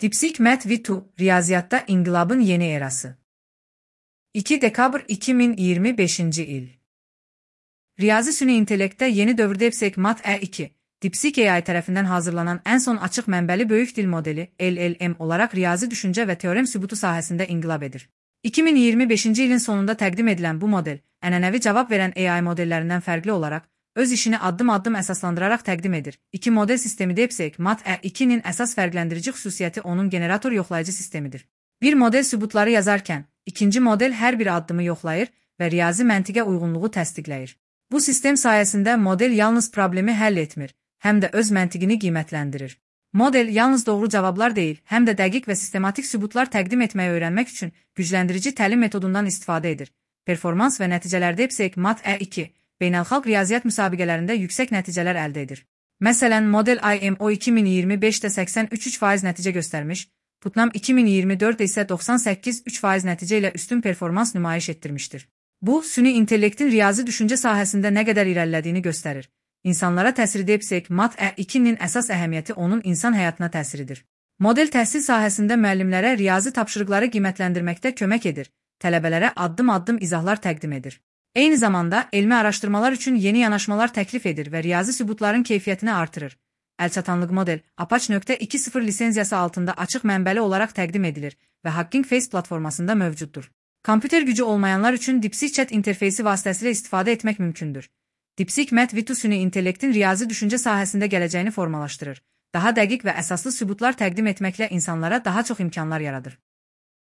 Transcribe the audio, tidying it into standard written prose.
DeepSeek Mat-V2, riyaziyyatda inqilabın yeni erası. 2 dekabr 2025 il. Riyazi süni intellektdə yeni dövrdə DeepSeek Mat-E2, DeepSeek AI tərəfindən hazırlanan ən son açıq mənbəli böyük dil modeli LLM olaraq riyazi düşüncə və teorem sübutu sahəsində inqilab edir. 2025 ilin sonunda təqdim edilən bu model, ənənəvi cavab verən AI modellərindən fərqli olaraq, öz işini addım-addım əsaslandıraraq təqdim edir. İki model sistemi DeepSeek Mat-E2-nin əsas fərqləndirici xüsusiyyəti onun generator yoxlayıcı sistemidir. Bir model sübutları yazarkən, ikinci model hər bir addımı yoxlayır və riyazi məntiqə uyğunluğu təsdiqləyir. Bu sistem sayəsində model yalnız problemi həll etmir, həm də öz məntiqini qiymətləndirir. Model yalnız doğru cavablar deyil, həm də dəqiq və sistematik sübutlar təqdim etməyi öyrənmək üçün gücləndirici təlim metodundan istifadə edir. Performans və nəticələrdə DeepSeek Mat-E2 beynəlxalq riyaziyyat müsabiqələrində yüksək nəticələr əldə edir. Məsələn, model IMO 2025-də 83% nəticə göstərmiş, Putnam 2024-də isə 98% nəticə ilə üstün performans nümayiş etdirmişdir. Bu, süni intellektin riyazi düşüncə sahəsində nə qədər irəlilədiyini göstərir. İnsanlara təsiri DeepSeek Mat-E2-nin əsas əhəmiyyəti onun insan həyatına təsiridir. Model təhsil sahəsində müəllimlərə riyazi tapşırıqları qiymətləndirməkdə kömək edir, tələbələrə addım-addım izahlar təqdim edir. Eyni zamanda, elmi araşdırmalar üçün yeni yanaşmalar təklif edir və riyazi sübutların keyfiyyətini artırır. Əlçatanlıq model, Apache.2.0 lisenziyası altında açıq mənbəli olaraq təqdim edilir və Hugging Face platformasında mövcuddur. Kompüter gücü olmayanlar üçün DeepSeek Chat interfeysi vasitəsilə istifadə etmək mümkündür. DeepSeek Mat-V2 süni intellektin riyazi düşüncə sahəsində gələcəyini formalaşdırır. Daha dəqiq və əsaslı sübutlar təqdim etməklə insanlara daha çox imkanlar yaradır.